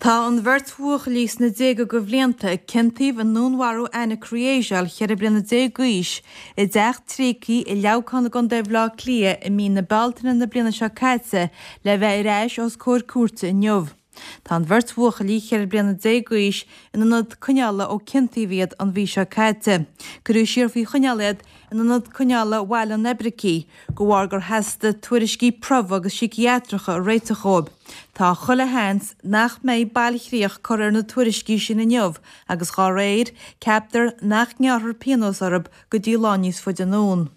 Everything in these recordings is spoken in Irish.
Tá an bheirt bhuachaillí sna déaga de bhlianta a ciontaíodh i ndúnmharú Anna Kryeziu, 14 bliana d'aois, i dteach tréigthe i Leamhcán i gContae Bhaile Átha Cliath i mí na Bealtaine na bliana seo caite le bheith ar ais os comhair cúirte inniu. Tá an bheirt bhuachaillí, 14 bliana d'aois, in ionad coinneála ó ciontaíodh iad an mhí seo caite. Cuireadh siar faoi choinneáil iad in ionad coinneála Bhaile an Oibricigh, de bharr gur theastaigh tuairiscí promhaidh agus síciatracha a réiteach dhóibh. Tá chuile sheans nach mbeidh bailchríoch curtha ar na tuairiscí sin inniu agus dhá réir, ceaptar nach ngearrfar pionós orthu go dtí lá níos faide anonn.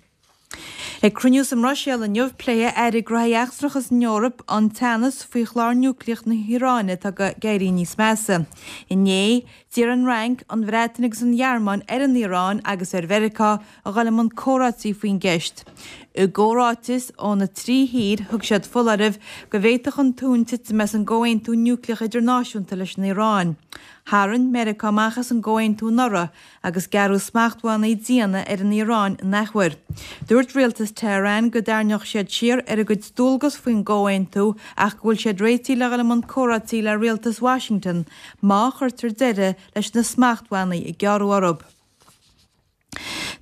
Ag cruinniú sa mBruiséil inniu, pléifidh Airí Gnóthaí Eachtracha san Eoraip an teannas faoi chlár núicléach na hIaráine atá ag éirí níos measa. Inné, D'iarr an Fhrainc, an Bhreatain agus an Ghearmáin ar an Iaráin agus ar Mheiriceá a dhul i mbun comhráití faoin gceist. I gcomhráiteas ó na trí thír, thug siad foláireamh go bhféadfadh an tonn titim as an gcomhaontú núicléach idirnáisiúnta leis an Iaráin. Tharraing Meiriceá amach as an gcomhaontú anuraidh agus gearradh smachtbhannaí diana ar an Iaráin in athuair. Dúirt rialtas Tehran go dtarraingeodh siad siar ar a gcuid dualgas faoin gcomhaontú ach go bhfuil siad réitithe le dhul i mbun comhráití le rialtas Washington má chuirtear deireadh leis na smachtbhannaí a gearradh orthu.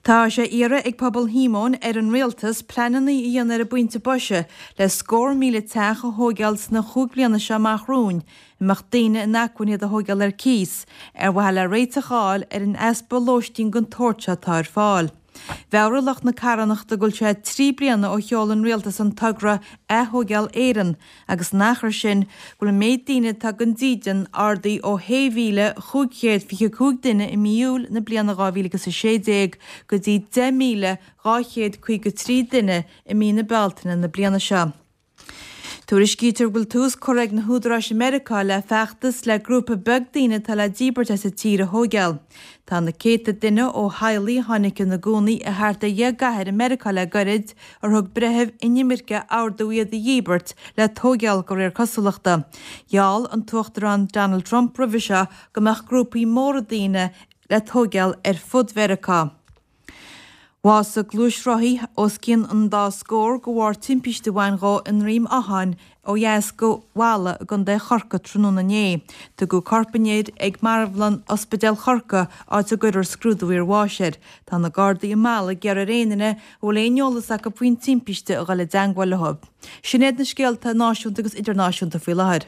Tá sé iarrtha ag pobal Shíomóin ar an rialtas pleananna a dhéanamh ar an bpointe boise le scór míle teach a thóigeáil sna chúig bliana seo amach romhainn, a mbeadh daoine in acmhainn iad a thóigeáil ar cíos, ar mhaithe le réiteach a fháil ar an easpa lóistín den tsórt seo atá ar fáil. Mheabhraigh lucht na carthanachta go bhfuil sé trí bliana ó sheol an rialtas an togra Ath-Thóigeáil Éireann agus san achar sin go bhfuil an méid daoine atá gan dídean ardaithe ó 6,525 duine i mí Iúil na bliana 2016 go dtí 10,253 duine i mí na Bealtaine na bliana seo. Tuairiscítear go bhfuil tús curtha ag na húdaráis i Meiriceá le feachtas le grúpa beag daoine atá le díbirt as an tír a thóigeáil. Tá na céadta duine ó theaghlaigh a tháinig ina gcónaí i thart ar dheich gcathair i Meiriceá le goirid, ar thug breithimh inimirce ordú iad a dhíbirt, le tóigeáil de réir cosúlachta. Gheall an tUachtarán Donald Trump roimhe seo go mbeadh grúpaí móra daoine le tóigeáil ar fud Mheiriceá. Bhásaigh gluaisrothaí os cionn an dá scór de bharr timpiste a bhain dhó i nDroim Átháin ó dheas go Mhala i gContae Chorcaí tráthnóna inné. Tugadh corp an fhir ag marbhlann Ospidéal Chorcaí áit a gcuirfear scrúdú iarbháis air. Tá na Gardaí i Mala ag iarraidh ar aon duine a bhfuil aon eolas acu faoin timpiste a dhul i dteangmháil leo. Sin iad na scéalta náisiúnta agus idirnáisiúnta faoi láthair.